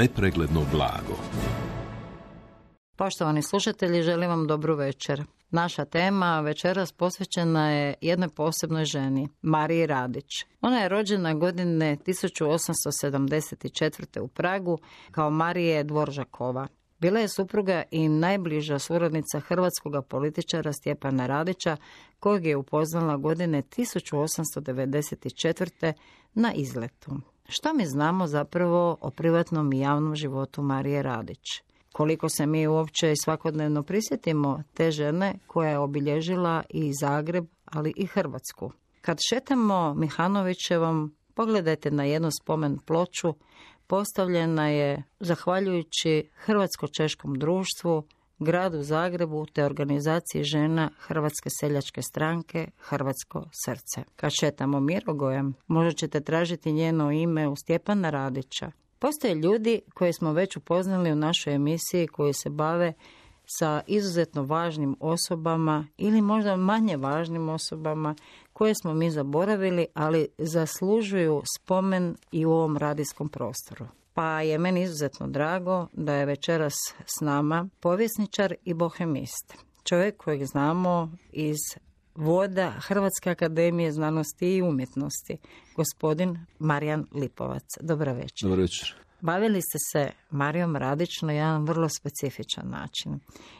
nepregledno blago. Poštovani slušatelji, želim vam dobru večer. Naša tema večeras posvećena je jednoj posebnoj ženi, Mariji Radić. Ona je rođena godine 1874. u Pragu kao Marije Dvoržakova. Bila je supruga i najbliža suradnica hrvatskog političara Stjepana Radića, kojeg je upoznala godine 1894. na izletu. Što mi znamo zapravo o privatnom i javnom životu Marije Radić? Koliko se mi uopće svakodnevno prisjetimo te žene koja je obilježila i Zagreb, ali i Hrvatsku. Kad šetamo Mihanovićevom, pogledajte na jednu spomen ploču, postavljena je zahvaljujući Hrvatsko-češkom društvu, gradu Zagrebu te organizaciji žena Hrvatske seljačke stranke Hrvatsko srce. Kad šetamo Mirogojem, možda ćete tražiti njeno ime u Stjepana Radića. Postoje ljudi koje smo već upoznali u našoj emisiji koji se bave sa izuzetno važnim osobama ili možda manje važnim osobama koje smo mi zaboravili, ali zaslužuju spomen i u ovom radijskom prostoru. Pa je meni izuzetno drago da je večeras s nama povjesničar i bohemist. Čovjek kojeg znamo iz voda Hrvatske akademije znanosti i umjetnosti, gospodin Marijan Lipovac. Dobar večer. Dobar večer. Bavili ste se Marijom Radić na jedan vrlo specifičan način.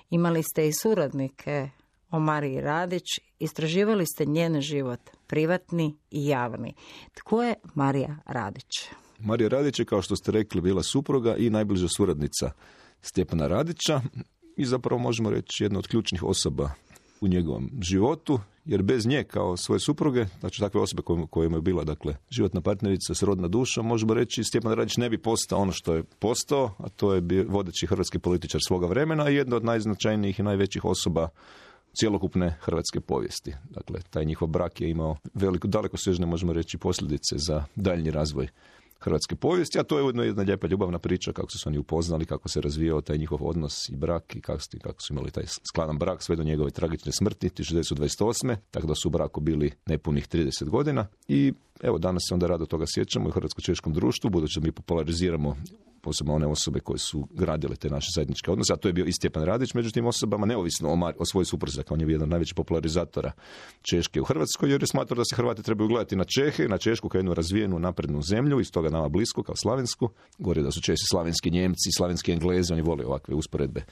Imali ste i suradnike o Mariji Radić, istraživali ste njen život, privatni i javni. Tko je Marija Radić? Marija Radić je, kao što ste rekli, bila supruga i najbliža suradnica Stjepana Radića i zapravo možemo reći jedna od ključnih osoba u njegovom životu, jer bez nje kao svoje supruge, znači takve osobe kojima je bila životna partnerica, srodna duša, možemo reći Stjepan Radić ne bi postao ono što je postao, a to je bio vodeći hrvatski političar svoga vremena i jedna od najznačajnijih i najvećih osoba cjelokupne hrvatske povijesti. Dakle, taj njihov brak je imao dalekosežne, možemo reći, posljedice za daljnji razvoj hrvatske povijesti, a to je ujedno jedna lijepa ljubavna priča kako su se oni upoznali, kako se razvijao taj njihov odnos i brak i kako su imali taj skladan brak sve do njegove tragične smrti 1928. Tako da su u braku bili nepunih 30 godina i evo danas se onda rado toga sjećamo u Hrvatsko-češkom društvu, budući da mi populariziramo posebno one osobe koje su gradile te naše zajedničke odnose, a to je bio i Stjepan Radić među tim osobama, neovisno o svojoj supruzi, dakle on je jedan od najvećih popularizatora Češke u Hrvatskoj, jer je smatrao da se Hrvati trebaju gledati na Čehe, na Češku kao jednu razvijenu naprednu zemlju, iz toga nama blisko kao slavensku. Govori da su Česi slavenski Njemci, slavenski Englezi, oni vole ovakve usporedbe.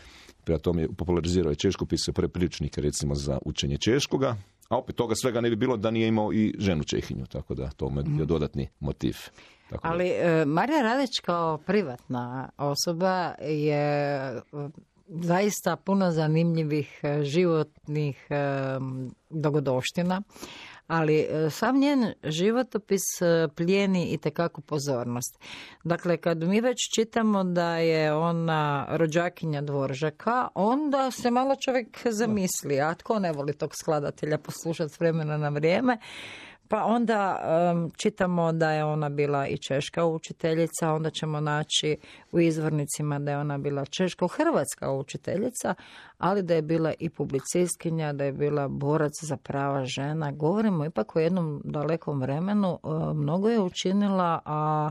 Prema tome je popularizirao je češku, pisao prve priručnike recimo za učenje češkoga, a opet toga svega ne bi bilo da nije imao i ženu Čehinju, tako da to je dodatni motiv. Tako ali Marija Radić kao privatna osoba je zaista puno zanimljivih životnih dogodovština, ali sam njen životopis plijeni itekako pozornost. Dakle, kad mi već čitamo da je ona rođakinja Dvoržaka, onda se malo čovjek zamisli, a tko ne voli tog skladatelja poslušati s vremena na vrijeme. Pa onda čitamo da je ona bila i češka učiteljica, onda ćemo naći u izvornicima da je ona bila češko-hrvatska učiteljica, ali da je bila i publicistkinja, da je bila borac za prava žena. Govorimo ipak o jednom dalekom vremenu, mnogo je učinila, a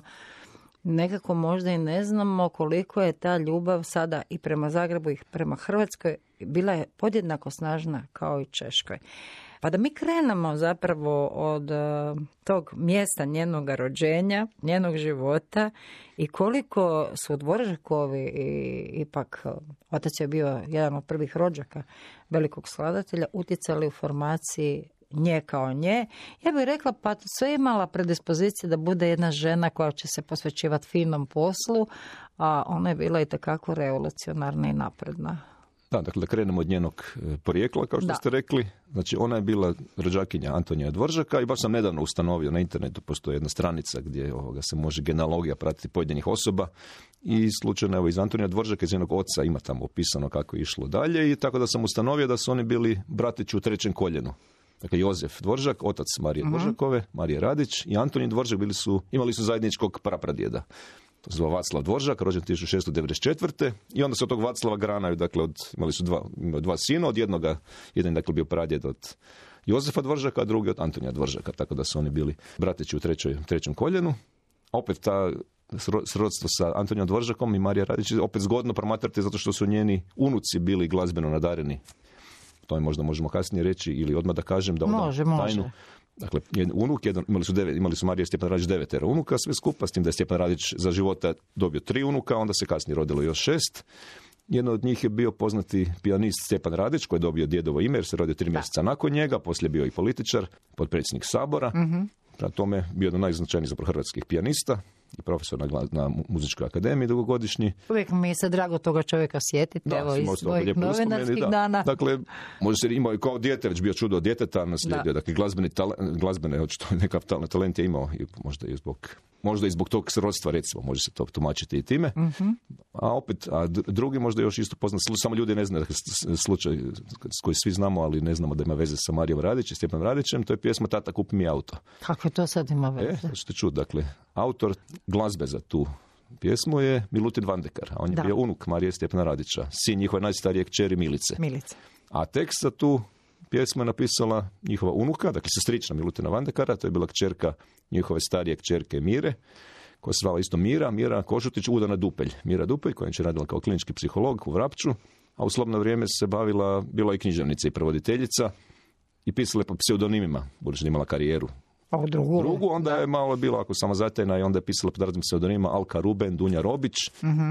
nekako možda i ne znamo koliko je ta ljubav sada i prema Zagrebu i prema Hrvatskoj bila je podjednako snažna kao i Češkoj. Pa da mi krenemo zapravo od tog mjesta njenog rođenja, njenog života i koliko su Dvoržakovi ipak, otac je bio jedan od prvih rođaka velikog skladatelja, utjecali u formaciji nje kao nje. Ja bih rekla pa sve imala predispozicije da bude jedna žena koja će se posvećivati finom poslu, a ona je bila itekako revolucionarna i napredna. Da, dakle, da krenemo od njenog porijekla, kao što ste rekli. Znači, ona je bila rođakinja Antonija Dvoržaka i baš sam nedavno ustanovio na internetu, postoji jedna stranica gdje se može genealogija pratiti pojedinih osoba i slučajno evo iz Antonija Dvoržaka, iz njenog oca ima tamo opisano kako je išlo dalje i tako da sam ustanovio da su oni bili bratići u trećem koljenu. Dakle, Jozef Dvoržak, otac Marije Dvoržakove, Marije Radić i Antonij Dvoržak imali su zajedničkog prapradjeda. To se zove Vaclav Dvoržak, rođen 1694. I onda se od tog Vaclava granaju, dakle, imali su dva sina, jedan dakle bio pradjed od Jozefa Dvoržaka, a drugi od Antonija Dvoržaka, tako da su oni bili bratići u trećem koljenu. A opet ta srodstvo sa Antonijom Dvoržakom i Marija Radić je opet zgodno promatrati zato što su njeni unuci bili glazbeno nadareni. To je možda možemo kasnije reći ili odmah da kažem da može. Tajnu. Dakle, unuk, imali su Marija i Stjepan Radić 9 unuka sve skupa, s tim da je Stjepan Radić za života dobio 3 unuka, onda se kasnije rodilo još 6. Jedan od njih je bio poznati pijanist Stjepan Radić, koji je dobio djedovo ime jer se rodio 3 mjeseca nakon njega, poslije bio i političar, potpredsjednik Sabora. Prema tome bio jedan najznačajnijih zapravo hrvatskih pijanista i profesor na Muzičkoj akademiji dugogodišnji. Uvijek mi se drago toga čovjeka sjetiti, evo iz svojih novinarskih dana. Dakle, može se imao kao dijete, već bio čudo od djeteta, naslijedio, dakle glazbene, očito nekakav talent je imao, možda i zbog tog srodstva, recimo, može se to tumačiti i time. A drugi možda još isto poznat, samo ljudi ne znaju, dakle, slučaj s koji svi znamo, ali ne znamo da ima veze sa Marijom Radić i Stjepanom Radićem, to je pjesma Tata kupi mi auto. Kako to sad ima veze? To ćete čuti, dakle, autor glazbe za tu pjesmu je Milutin Vandekar, a on je bio unuk Marije i Stjepana Radića, sin njihove najstarije kćeri Milice. A tekst za tu pjesmu je napisala njihova unuka, dakle sestrična Milutina Vandekara, to je bila kćerka njihove starije kćerke Mire, koja se zvala isto Mira Košutić, udana Dupelj. Mira Dupelj, koja je radila kao klinički psiholog u Vrapču, a u slobodno vrijeme se bila i književnica i prevoditeljica i pisala po pseudonimima, budući da imala karijeru. Drugu, onda je malo bilo ako samozatajna i onda je pisala pod raznim pseudonimima Alka Ruben, Dunja Robić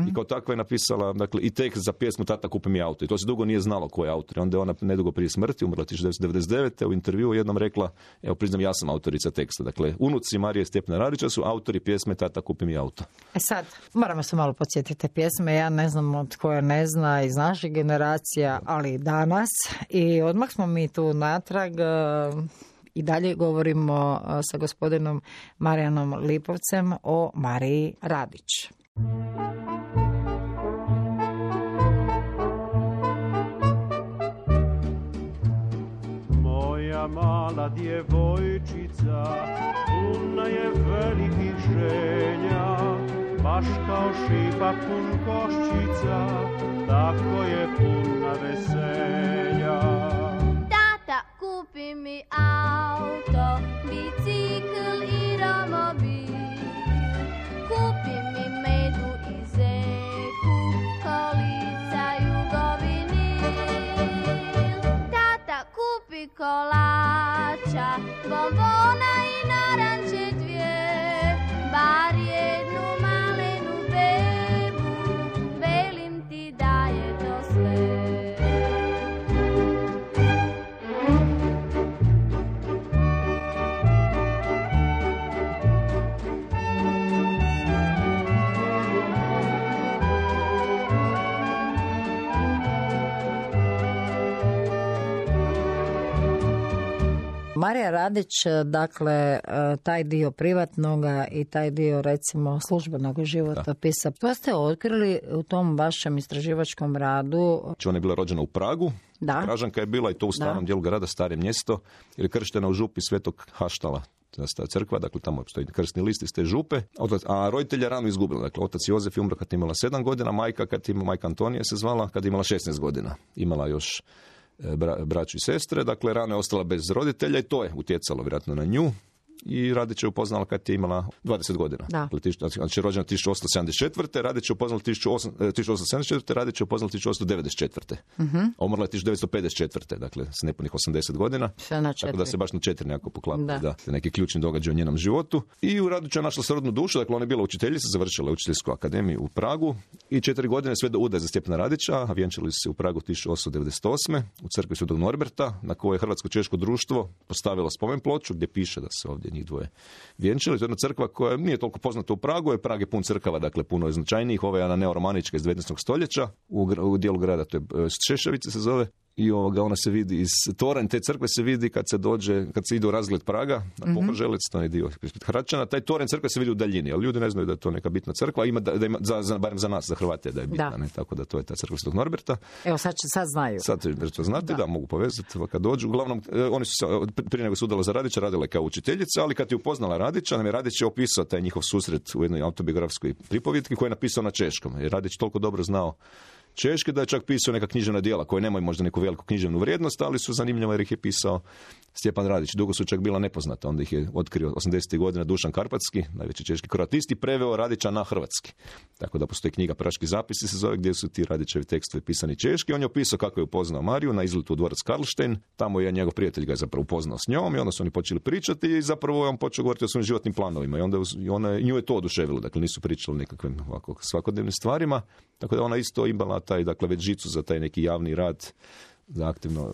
i kao takva je napisala, dakle, i tekst za pjesmu Tata kupi mi auto i to se dugo nije znalo ko je autor. Onda je ona nedugo prije smrti, umrla 1999. u intervjuu jednom rekla, evo priznam ja sam autorica teksta. Dakle, unuci Marije i Stjepana Radića su autori pjesme Tata kupi mi auto. Sad, moramo se malo podsjetiti te pjesme, ja ne znam od koje ne zna iz naših generacija, ali danas i odmah smo mi tu natrag. I dalje govorimo sa gospodinom Marijanom Lipovcem o Mariji Radić. Moja mala djevojčica puna je velikih ženja, baš kao šipak pun koščica, tako je puna veselja. Kupi mi auto, bicikl i romobil. Kupi mi medu i zeku, kolica jugovinil. Tata kupi kolača, bombona i naranče dvije, bar jednu malenu bebu, velim ti da je to sve. Marija Radić, dakle, taj dio privatnoga i taj dio, recimo, službenog životopisa. To ste otkrili u tom vašem istraživačkom radu. Ona je bila rođena u Pragu. Pražanka je bila i to u starom dijelu grada, stare mjesto, jer je krštena u župi Svetog Haštala. Ta crkva, dakle tamo postoji krstni list iz te župe, a roditelja rano izgubila. Dakle, otac Jozef je umro kad je imala 7 godina, majka Antonija se zvala kad je imala 16 godina. Imala još braću i sestre, dakle rano je ostala bez roditelja i to je utjecalo vjerojatno na nju. I Radić je upoznala kad je imala 20 godina. Znači rođena 1874. Radić je upoznala 1874. Radić je upoznala 1894. A umrla je 1954. Dakle, s nepunih 80 godina. Tako da se baš na 4 nekako poklapa. Da. Neki ključni događaj u njenom životu. I u Radiću je našla srodnu dušu. Dakle, ona je bila učiteljica, završila učiteljsku akademiju u Pragu i 4 godine sve do udaje za Stjepana Radića, a vjenčali su se u Pragu 1898. u crkvi Svetog Norberta, na kojoj je Hrvatsko-češko društvo postavilo spomen ploču gdje piše da se ovdje njih dvoje vjenčali. To je jedna crkva koja nije toliko poznata u Pragu, je Prag je pun crkava, dakle puno je značajnijih. Ova je ona neoromanička iz 19. stoljeća u dijelu grada, to je Šeševice se zove. I ona se vidi iz toranj te crkve se vidi kad se ide u razgled Praga na Pokrželec, to je dio ispred Hračana, taj toranj crkve se vidi u daljini, ali ljudi ne znaju da je to neka bitna crkva, ima barem za nas, za Hrvate da je bitna, ne? Tako da to je ta crkva Svetog Norberta. Evo sad znaju. Sad to znate, da mogu povezati kad dođu. Uglavnom, oni su se, prije nego su udala za Radića, radila kao učiteljica, ali kad je upoznala Radića, nam je Radić je opisao taj njihov susret u jednoj autobiografskoj pripovjetki koju je napisao na češkom. Jer Radić toliko dobro znao češke, da je čak pisao neka književna djela koje nemaju možda neku veliku književnu vrijednost, ali su zanimljive jer ih je pisao Stjepan Radić. Dugo su čak bila nepoznata, onda ih je otkrio 80. godina Dušan Karpatski, najveći češki kroatist, i preveo Radića na hrvatski. Tako da postoji knjiga Praški zapisi se zove, gdje su ti Radićevi tekstovi pisani češki. On je opisao kako je upoznao Mariju na izletu u dvorac Karlštejn. Tamo je njegov prijatelj ga je zapravo upoznao s njom i onda su oni počeli pričati i zapravo je on počeo govoriti o svojim životnim planovima i onda nju je to oduševilo. Dakle, nisu pričali o nekakvim ovako svakodnevnim stvarima. Tako da ona isto imala taj, dakle, već žicu za taj neki javni rad, za aktivno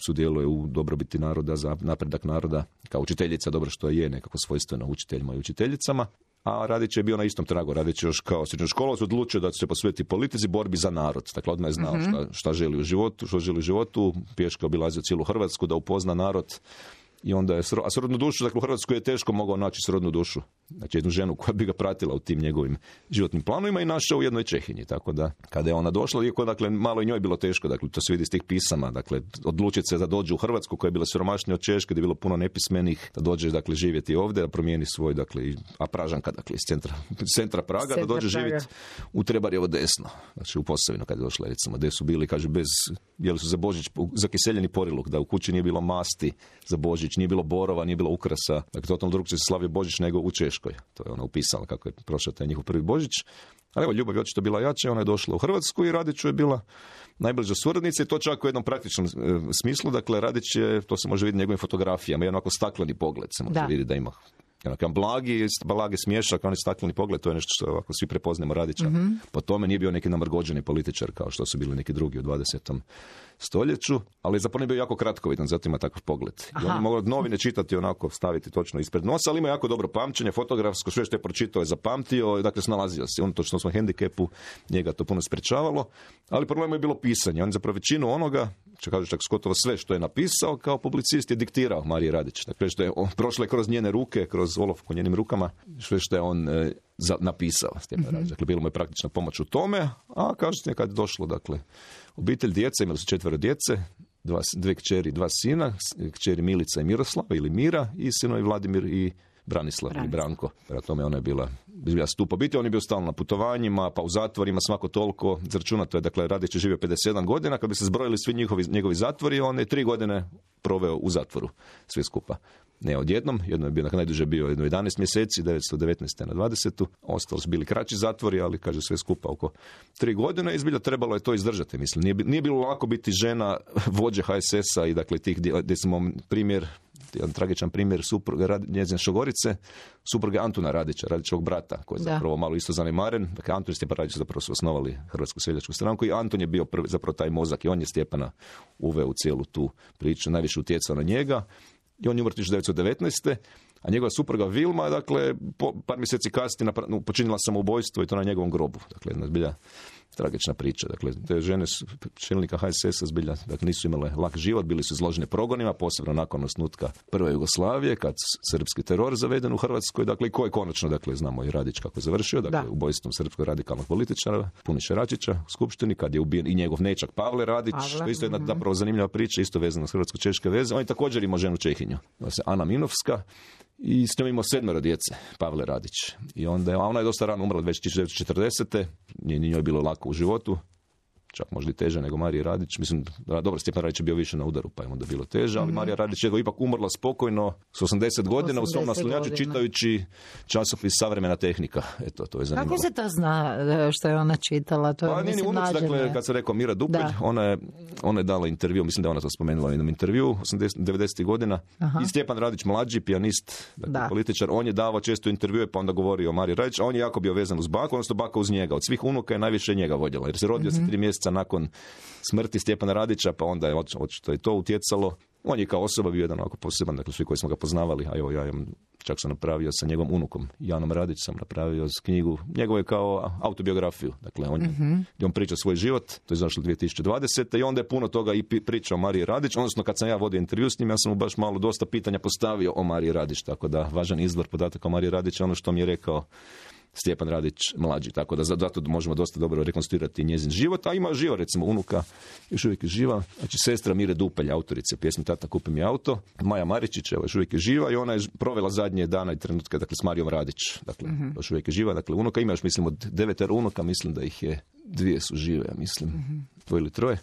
sudjeluje u dobrobiti naroda, za napredak naroda, kao učiteljica, dobro što je nekako svojstveno učiteljima i učiteljicama. A Radić je bio na istom tragu. Radić je još kao srednjoškolac odlučio da će se posvetiti politici, borbi za narod. Dakle, odmah je znao šta želi u životu, pješke obilazio cijelu Hrvatsku da upozna narod. I onda je srodnu dušu, dakle u Hrvatskoj je teško mogao naći srodnu dušu. Znači jednu ženu koja bi ga pratila u tim njegovim životnim planovima i našao u jednoj Čehinji. Tako da kada je ona došla, iako dakle malo i njoj bilo teško, dakle to se vidi iz tih pisama, dakle odlučiti se da dođe u Hrvatsku koja je bila siromašnija od Češke, da je bilo puno nepismenih, da dođe dakle živjeti ovdje, da promijeni svoj dakle a Pražanka dakle iz centra Praga, da dođe živjeti u Trebarjevo desno, znači u Posavinu kad je došla recimo, gdje su bili kaže bez jeli su za Božić zakiseljeni poriluk, da u kući nije bilo masti za Božić, nije bilo borova, nije bilo ukrasa. Dakle, totalno drugčije se slavio Božić nego u Češkoj. To je ona upisala kako je prošao taj njihov prvi Božić. Ali evo, ljubav je očito bila jača, ona je došla u Hrvatsku i Radiću je bila najbliža suradnica i to čak u jednom praktičnom smislu. Dakle, Radić je, to se može vidjeti njegovim fotografijama, jedan ovako stakleni pogled se može vidjeti da ima. Jedan blagi smješak, onaj stakleni pogled, to je nešto što ovako svi prepoznajemo Radića. Po tome nije bio neki namrgođeni političar kao što su bili neki drugi u 20. stoljeću, ali zapravo je bio jako kratkovidan, zato ima takav pogled. I on je mogao novine čitati onako, staviti točno ispred nosa, ali ima jako dobro pamćenje, fotografsko, sve što je pročitao je zapamtio, dakle snalazio se. On točno u svom hendikepu, njega to puno sprečavalo, ali problem je bilo pisanje. On zapravo većinu onoga, čak gotovo sve što je napisao kao publicist je diktirao Mariji Radić. Dakle, što je prošlo je kroz njene ruke, kroz olovku njenim rukama, sve što je on napisao. Dakle, bilo mu je praktična pomoć u tome, a kažete kad je došlo, dakle, obitelj djece, imali su 4 djece, 2 kćeri, 2 sina, kćeri Milica i Miroslava ili Mira i sinovi Vladimir i Branislav ili Branko. Prema tome ona je bila stup obitelji, on je bio stalno na putovanjima, pa u zatvorima svako toliko, izračunato je, dakle, Radić je živio 57 godina, kad bi se zbrojili svi njegovi zatvori, on je 3 godine proveo u zatvoru, svi skupa. Ne odjednom, jedno je bio, najduže bio 11 mjeseci, 1919. na 20. Ostalo su bili kraći zatvori, ali kaže sve skupa oko 3 godine i zbilja trebalo je to izdržati. Mislim, nije bilo lako biti žena vođe HSS-a i dakle tih gdje smo primjer, jedan tragičan primjer supruga njezine šogorice, supruge Antuna Radića, Radićevog brata, koji je zapravo malo isto zanemaren. Dakle, Antun i Stjepan Radić zapravo su osnovali Hrvatsku seljačku stranku i Antun je bio prvi, zapravo taj mozak i on je Stjepana uveo u cijelu tu priču, najviše utjecao na njega. I on je umro 1919. A njegova supruga Vilma, dakle, par mjeseci kasnije počinila samoubojstvo i to na njegovom grobu. Dakle, jedna zbilja tragična priča. Dakle, te žene čelnika HSS-a zbilja, dakle, nisu imale lak život, bili su izloženi progonima, posebno nakon osnutka prve Jugoslavije, kad srpski teror zaveden u Hrvatskoj, dakle, i koji konačno, dakle, znamo i Radić kako je završio, dakle, ubojstvom srpskog radikalnog političara, Puniše Račića u Skupštini, kad je ubijen i njegov nečak Pavle Radić, što je isto jedna zapravo zanimljiva priča, isto vezana s hrvatsko-češke veze. On je također imao ženu Čehinju, Ana Minovska, i s njom imao 7 djece, Pavle Radić. I onda ona je dosta rano umrla, već 1940. Nije njoj bilo lako u životu, čak možda i teže nego Marija Radić. Mislim, dobro, Stjepan Radić je bio više na udaru, pa je onda bilo teže, ali Marija Radić je ipak umrla spokojno s 80 godina u svom naslonjaču čitajući časopis Savremena tehnika. Eto, to je zanimljivo. Kako se to zna što je ona čitala? To je, pa nije unuci, dakle, kad se rekao Mira Dupelj, ona je dala intervju, mislim da je ona to spomenula u jednom intervju, 90. godina. I Stjepan Radić, mlađi pijanist, dakle, političar, on je davao često intervjue, pa onda govorio o Mariji Radić, a on je jako bio vezan uz baku, odnosno baka uz njega. Od svih unuka je najviše njega voljela, jer se rodio se 3 mjeseca nakon smrti Stjepana Radića, pa onda je očito i to utjecalo. On je kao osoba bio jedan ovako poseban, dakle svi koji smo ga poznavali, a evo ja čak sam napravio sa njegovom unukom Janom Radić, sam napravio knjigu, njegovu je kao autobiografiju, dakle on priča svoj život, to je izašlo 2020. i onda je puno toga i priča o Mariji Radić, odnosno kad sam ja vodio intervju s njim, ja sam mu baš dosta pitanja postavio o Mariji Radić, tako da važan izvor podataka o Mariji Radić je ono što mi je rekao Stjepan Radić mlađi, tako da zato možemo dosta dobro rekonstruirati njezin život, a ima živa, recimo unuka, još uvijek je živa, znači sestra Mire Dupelj, autorice pjesme Tata kupi mi auto, Maja Maričić, evo još uvijek je živa i ona je provela zadnje dana i trenutke, dakle, s Marijom Radić, dakle, još uvijek je živa, dakle, unuka ima još, mislim, od 9 unuka, mislim da ih je 2 su žive, ja mislim, 2 ili 3.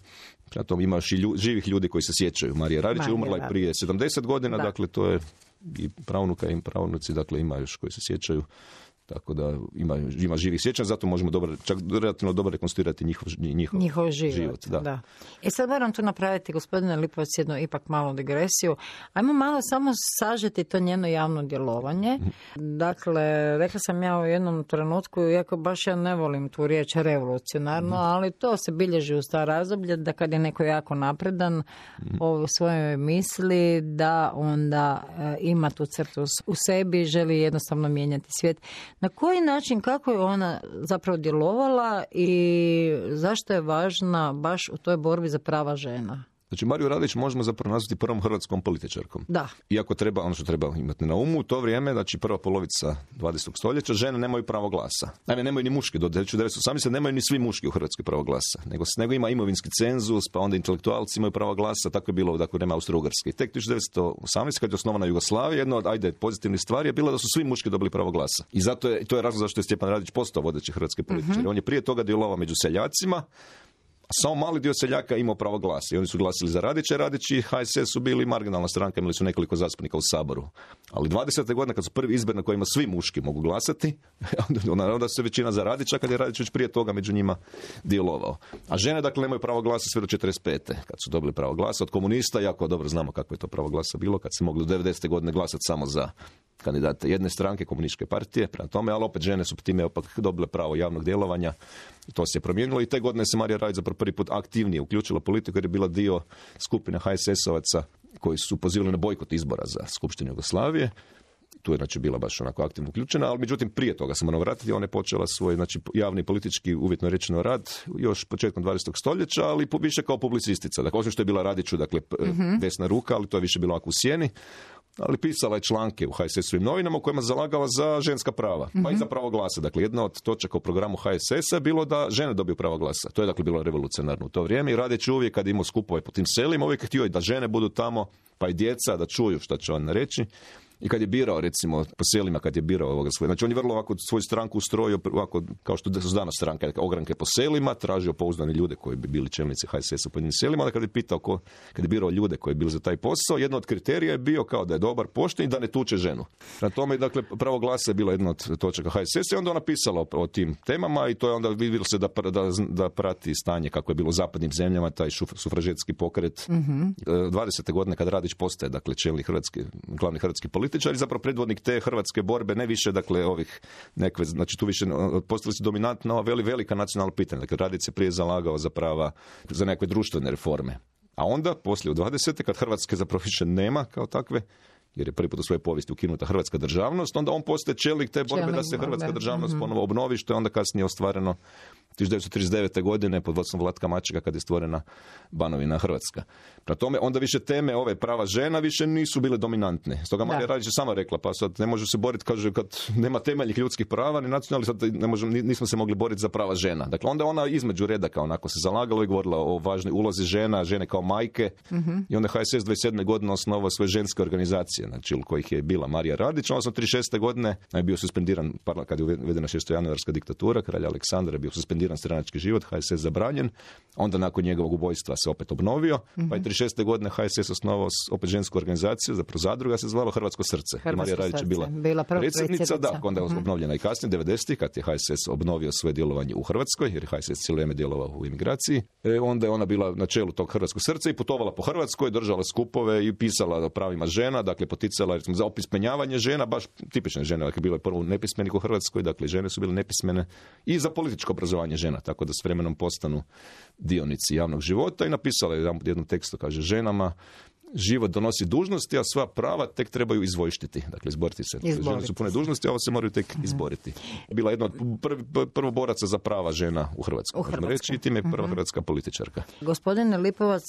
Prema tome ima još i živih ljudi koji se sjećaju. Marija Radić je umrla i prije 70 godina, dakle to je i pravunuka i pravnuci, dakle ima još koji se sjećaju. Tako da ima živih sjećanja, zato možemo čak relativno dobro rekonstruirati njihov život. Da. I sad moram tu napraviti, gospodine Lipovac, jednu ipak malu digresiju. Ajmo malo samo sažeti to njeno javno djelovanje. Dakle, rekla sam ja u jednom trenutku, iako baš ja ne volim tu riječ revolucionarno, ali to se bilježi u staro razdoblje, da kad je neko jako napredan u svojoj misli, da onda ima tu crtu u sebi, želi jednostavno mijenjati svijet. Na koji način, kako je ona zapravo djelovala i zašto je važna baš u toj borbi za prava žena? Znači, Mariju Radić možemo zapravo nazvati prvom hrvatskom političarkom. Da. Iako treba, ono što treba imati na umu, u to vrijeme, znači prva polovica 20. stoljeća, žene nemaju pravo glasa. Naime, nemaju ni muški, do 1918. nemaju ni svi muški u Hrvatskoj pravo glasa. Nego ima imovinski cenzus, pa onda intelektualci imaju pravo glasa, tako je bilo dakle, vreme Austro-Ugarske. I tek 1918. kad je osnovana Jugoslavija, jedna od pozitivnih stvari je bila da su svi muški dobili pravo glasa. I to je razlog zašto je Stjepan Radić postao vodeći hrvatski političar. On je prije toga djelovao među seljacima, a samo mali dio seljaka imao pravo glasa i oni su glasili za Radića. Radić i HSS su bili marginalna stranka, imali su nekoliko zastupnika u Saboru. Ali 20. godine kad su prvi izbori na kojima svi muški mogu glasati, onda se većina za Radića, kad je Radić već prije toga među njima djelovao. A žene dakle nemaju pravo glasa sve do 45. kad su dobili pravo glasa od komunista. Jako dobro znamo kako je to pravo glasa bilo kad se mogli do 90. godine glasati samo za kandidate jedne stranke, komunističke partije, prema tome, ali opet žene su time opet dobile pravo javnog djelovanja. To se je promijenilo i te godine se Marija Radić zapravo prvi put aktivnije uključila politiku jer je bila dio skupine HSS-ovaca koji su pozivali na bojkot izbora za Skupštinu Jugoslavije. Tu je znači bila baš onako aktivno uključena, ali međutim prije toga se moram vratiti, ona je počela svoj znači, javni politički uvjetno rečeno rad još početkom 20. stoljeća, ali više kao publicistica. Dakle, osim što je bila Radiću, dakle, desna ruka, ali to je više bilo ovako u sjeni. Ali pisala je članke u HSS-ovim novinama u kojima se zalagala za ženska prava, pa i za pravo glasa. Dakle, jedna od točaka u programu HSS-a je bilo da žene dobiju pravo glasa. To je dakle bilo revolucionarno u to vrijeme i Radić uvijek kad imao skupove po tim selima, uvijek htio da žene budu tamo, pa i djeca, da čuju šta će on reći. I kad je birao, recimo, po selima, kad je birao ovoga svoje, znači on je vrlo ovako svoju stranku ustrojio, ovako, kao što su danas stranke, ogranke po selima, tražio pouzdane ljude koji bi bili čelnici HSS-a po njim selima, ali kad je pitao kad je birao ljude koji bi bili za taj posao, jedan od kriterija je bio kao da je dobar, pošten i da ne tuče ženu. Na tome, dakle, pravo glasa je bila jedna od točaka HSS-a i onda ona pisala o tim temama i to je onda vidjelo se da prati stanje kako je bilo u zapadnim zemljama, taj sufražetski pokret. 20. godine kad Radić postaje, dakle, glavni hrvatski političar i zapravo predvodnik te hrvatske borbe, ne više, dakle, ovih nekve, znači tu više postali su dominantna ova velika nacionalna pitanja. Dakle, Radić se prije zalagao za prava, za nekakve društvene reforme. A onda, poslije u 20. kad Hrvatske zapravo više nema kao takve, jer je prvi put u svojoj povijesti ukinuta hrvatska državnost, onda on postaje čelnik te borbe da se hrvatska državnost ponovo obnovi, što je onda kasnije ostvareno 1939. godine pod vodstvom Vlatka Mačeka kad je stvorena Banovina Hrvatska. Prema tome, onda više teme ove prava žena više nisu bile dominantne. Stoga Marija Radić je sama rekla, pa sad ne može se boriti, kaže, kad nema temeljnih ljudskih prava, ni nacionalnih, sad nismo se mogli boriti za prava žena. Dakle, onda ona između redaka onako se zalagala i govorila o važnoj ulozi žena, žene kao majke. I onda HSS 27. godine osnovao svoje ženske organizacije, znači u kojih je bila Marija Radić. Onda 36. godine je bio suspendiran, kad je uvedena 6-januarska diktatura, kralja Aleksandra je bio suspendiran stranački život, HSS zabranjen, onda nakon njegovog ubojstva se opet obnovio, pa je 36. godine HSS osnovao opet žensku organizaciju, zapravo zadruga se zvala Hrvatsko srce. Marija Radić je bila predsjednica, da, onda je obnovljena i kasnije, 90. kad je HSS obnovio svoje djelovanje u Hrvatskoj, jer je HSS cijelo vrijeme djelovao u imigraciji, onda je ona bila na čelu tog Hrvatskog srca i putovala po Hrvatskoj, držala skupove i pisala o pravima žena, dakle poticala recimo, za opismenjavanje žena, baš tipične žene, dakle bilo je prvo nepismenih u Hrvatskoj, dakle žene su bile nepismene i za političko obrazovanje žena, tako da s vremenom postanu dionici javnog života i napisala je jednom tekstu, kaže, ženama život donosi dužnosti, a sva prava tek trebaju izvojštiti. Dakle, izboriti se. Žene su pune dužnosti, a ovo se moraju tek izboriti. Bila jedna od prvoboraca za prava žena u Hrvatskoj. Možemo reći, i time je prva hrvatska političarka. Gospodine Lipovac,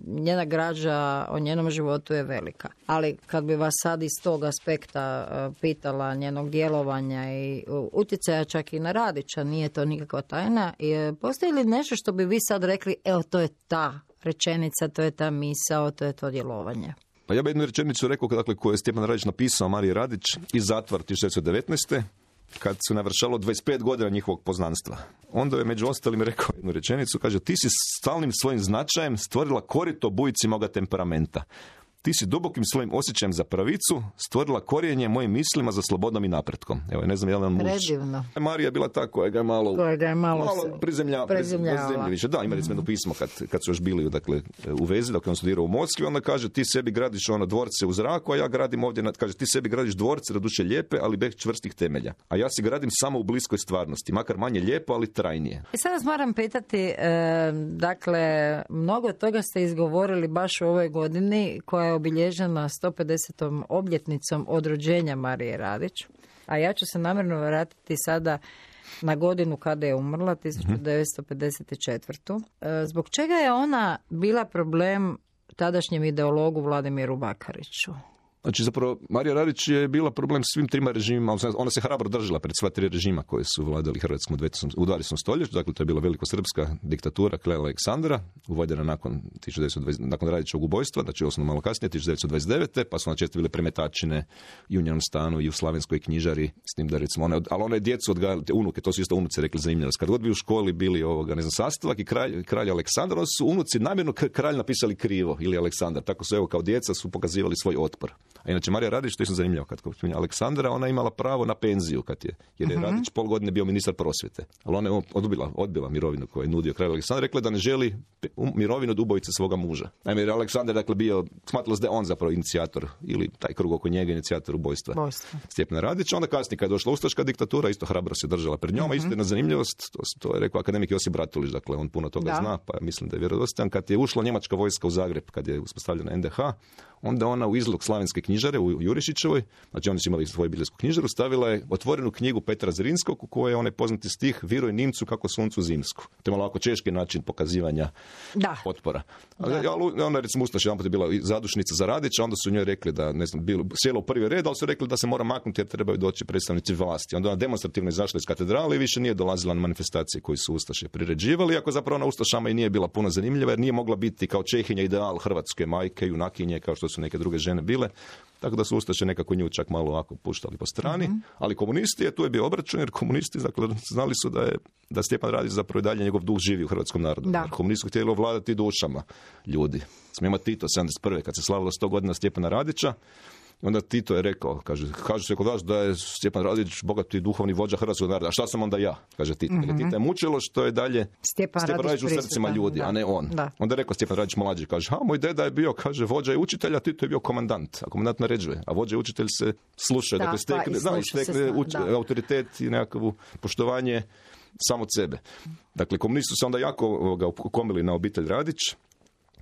njena građa o njenom životu je velika. Ali kad bi vas sad iz tog aspekta pitala njenog djelovanja i utjecaja čak i na Radića, nije to nikakva tajna, postoji li nešto što bi vi sad rekli, evo, to je ta rečenica, to je ta misao, to je to djelovanje? Pa ja bih jednu rečenicu rekao, dakle, koju je Stjepan Radić napisao Mariji Radić iz zatvora 1919. kad su navršalo 25 godina njihovog poznanstva. Onda je među ostalim rekao jednu rečenicu, kaže, ti si stalnim svojim značajem stvorila korito bujici moga temperamenta. Ti si dubokim svojim osjećajem za pravicu stvorila korijenje mojim mislima za slobodom i napretkom. Evo, ne znam, jedan muž. Predivno. Marija je bila ta koja ga je malo prizemljavala. Da, imali smo jedno pismo kad su još bili dakle, u vezi, dok on studirao u Moskvi, onda kaže, ti sebi gradiš dvorce u zraku, a ja gradim ovdje, kaže, ti sebi gradiš dvorce, doduše lijepe, ali bez čvrstih temelja. A ja si gradim samo u bliskoj stvarnosti, makar manje lijepo, ali trajnije. I sad vas moram pitati, dakle, mnogo toga ste izgovorili baš u ovoj godini, koja je obilježena 150. obljetnicom od rođenja Marije Radić. A ja ću se namjerno vratiti sada na godinu kada je umrla, 1954. Zbog čega je ona bila problem tadašnjem ideologu Vladimiru Bakariću? Znači, zapravo, Marija Radić je bila problem svim trima režimima, ona se hrabro držala pred sva tri režima koji su vladali Hrvatskom u 20. stoljeću, dakle, to je bila velikosrpska diktatura Kralja Aleksandra, uvedena nakon Radićevog ubojstva, znači osnovno malo kasnije, 1929. pa su na često bile premetačine i u njenom stanu i u slavenskoj knjižari, s tim da recimo, ali one djecu odgajali, te unuke, to su isto unuci rekli zanimljivo, kad god bi u školi bili sastavak i kralj Aleksandar, onda su unuci namjerno kralj napisali krivo ili Aleksandar, tako su evo kao djeca su pokazivali svoj otpor. A inače Marija Radić, što je zanimljivo, kad spominja Aleksandra, ona je imala pravo na penziju, jer je Radić pol godine bio ministar prosvjete. Ali ona je odbila mirovinu koju je nudio kralj Aleksandar, rekla da ne želi mirovinu od ubojice svoga muža. Naime, jer Aleksandar dakle bio, smatralo se da je on zapravo inicijator, ili taj krug oko njega inicijator ubojstva Stjepana Radića. Onda kasnije, kad je došla ustaška diktatura, isto hrabro se držala pred njom, isto jedna zanimljivost, to je rekao akademik Josip Bratulić, dakle on puno toga zna, pa mislim da je vjerodostojan. Kad je ušla njemačka vojska u Zagreb, kad je uspostavljena NDH, onda ona u izlog slavenske knjižare u Jurišićevoj, znači oni su imali svoju biljsku knjižaru, stavila je otvorenu knjigu Petra Zrinskog u kojoj je onaj poznati stih Viruj Nimcu kako suncu zimsku. To je malo ovako češki način pokazivanja otpora. Ali ona recimo ustaša jedan put je bila zadušnica za Radića, onda su njoj rekli da ne znam, sjela u prvi red, ali su rekli da se mora maknuti jer trebaju doći predstavnici vlasti. Onda ona demonstrativno izašla iz katedrale i više nije dolazila na manifestacije koji su ustaše priređivali, iako zapravo ona ustašama i nije bila puno zanimljiva jer nije mogla biti kao Čehinja ideal hrvatske majke, junakinje kao što su neke druge žene bile. Tako da su ustaše nekako nju čak malo ovako puštali po strani, ali komunisti, tu je bio obračun jer komunisti dakle, znali su da Stjepan Radić zapravo i dalje njegov duh živi u hrvatskom narodu. Jer komunisti su htjeli ovladati dušama ljudi. Smijemo Tito 71. kad se slavilo 100 godina Stjepana Radića, onda Tito je rekao, kaže se kod vas da je Stjepan Radić bogati duhovni vođa hrvatskog naroda. A šta sam onda ja? Kaže Tito. Tito je mučilo što je dalje Stjepan Radić u srcima ljudi, a ne on. Onda je rekao Stjepan Radić mlađi, kaže, moj deda je bio, kaže, vođa i učitelj, a Tito je bio komandant. A komandant naređuje, a vođa i učitelj se sluša, dakle stekne autoritet i nekakvo poštovanje samo od sebe. Dakle, komunisti su se onda jako ukomili na obitelj Radić.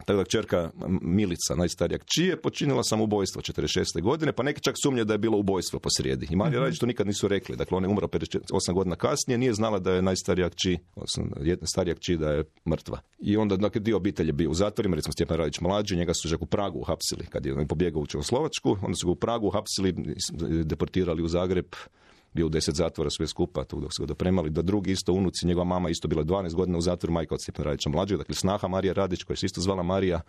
Tako da kćerka Milica, najstarija kći, je počinila samobojstvo 46. godine, pa neki čak sumnje da je bilo ubojstvo posrijedi. I Marija Radić to nikad nisu rekli. Dakle, ona je umrla 8 godina kasnije, nije znala da je najstarija kći, starija kći da je mrtva. I onda, dakle, dio obitelji je bio u zatvorima, recimo Stjepan Radić mlađi, njega su čak u Pragu uhapsili, kad je pobjegao u Čehoslovačku, onda su ga u Pragu uhapsili, deportirali u Zagreb, bio u 10 zatvora sve skupa, dok su ga dopremali, da drugi isto unuci, njegova mama isto bila 12 godina u zatvoru, majka od Stjepana Radića mlađeg, dakle snaha Marija Radić, koja se isto zvala Marija.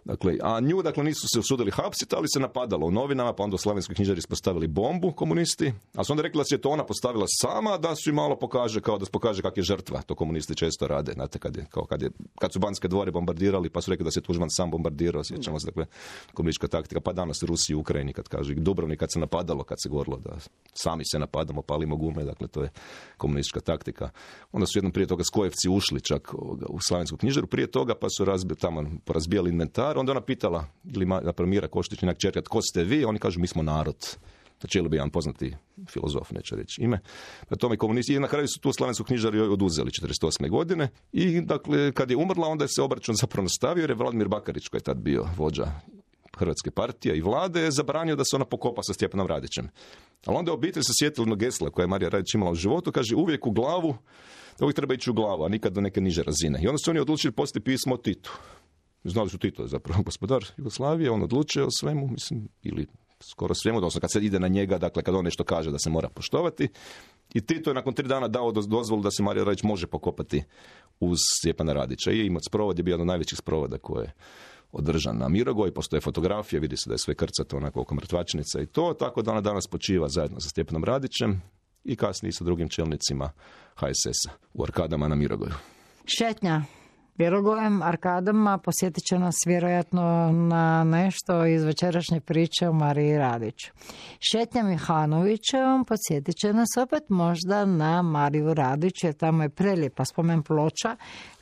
Dakle, a nju, dakle, nisu se usudili hapsiti, ali se napadalo u novinama, pa onda u slavenskoj knjižari ispostavili bombu komunisti, a su onda rekli da se je to ona postavila sama, da su im malo pokaže, kao da se pokaže kak je žrtva, to komunisti često rade, znate, kad su Banske dvore bombardirali, pa su rekli da se Tuđman sam bombardirao, sjećamo se, dakle, komunistička taktika, pa danas u Rusiji i Ukrajini, kad kaže Dubrovnik, kad se napadalo, kad se govorilo da sami se napadamo, palimo gume, dakle, to je komunistička taktika. Onda su jednom prije toga Skojevci ušli čak u slavensku knjižaru, prije toga pa su porazbijali inventar. Onda ona pitala, ili Mira Koštić, njenak čerka, tko ste vi? Oni kažu, mi smo narod. Znači, ili bi jedan poznati filozof, neće reći ime. Na tome komunisti, i na kraju su tu slavensku knjižaru oduzeli 48. godine. I, dakle, kad je umrla, onda je se obračun zapravo nastavio, jer je Vladimir Bakarić, koji je tad bio vođa Hrvatske partije i vlade, je zabranio da se ona pokopa sa Stjepanom Radićem. Ali onda je obitelj se sjetila jednog gesla koje je Marija Radić imala u životu, kaže, uvijek u glavu, uvijek treba ići u glavu, a nikad do neke niže razine. I onda su oni odlučili poslati pismo Titu. Znali su Tito je zapravo gospodar Jugoslavije, on odlučuje o svemu, mislim, ili skoro svemu, odnosno kad se ide na njega, dakle kad on nešto kaže da se mora poštovati. I Tito je nakon 3 dana dao dozvolu da se Marija Radić može pokopati uz Stjepana Radića. I sprovod je bio jedan od najvećih sprovoda koje je održan na Mirogoju, postoje fotografije, vidi se da je sve krcato onako oko mrtvačnica i to, tako da ona danas počiva zajedno sa Stjepanom Radićem. i kasnije sa drugim čelnicima HSS-a u Arkadama na Mirogoju. Šetnja Mirogojem, Arkadama posjetit će nas vjerojatno na nešto iz večerašnje priče o Mariji Radić. Šetnja Mihanovićevom posjetit će nas opet možda na Mariju Radić, jer tamo je prelijepa spomen ploča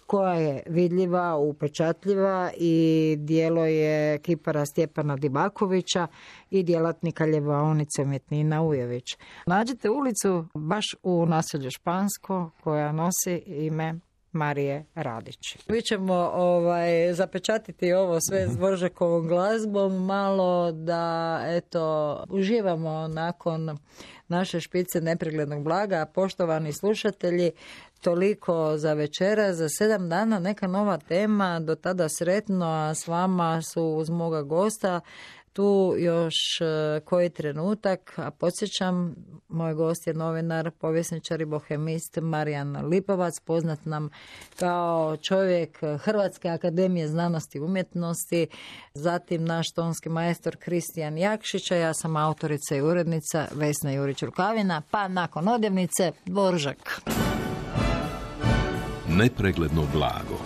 koja je vidljiva, upečatljiva i dijelo je kipara Stjepana Dibakovića i djelatnika ljevaonice umjetnina Ujević. Nađete ulicu baš u naselju Špansko koja nosi ime Marije Radić. Mi ćemo zapečatiti ovo sve s Dvoržakovom glazbom, malo da uživamo nakon naše špice nepreglednog blaga. Poštovani slušatelji, toliko za večera, za 7 dana neka nova tema, do tada sretno, a s vama su uz moga gosta tu još koji trenutak, a podsjećam, moj gost je novinar, povjesničar i bohemist Marijan Lipovac, poznat nam kao čovjek Hrvatske akademije znanosti i umjetnosti, zatim naš tonski majstor Kristijan Jakšić, a ja sam autorica i urednica Vesna Jurić-Rukavina, pa nakon odjevnice Dvoržak. Nepregledno blago.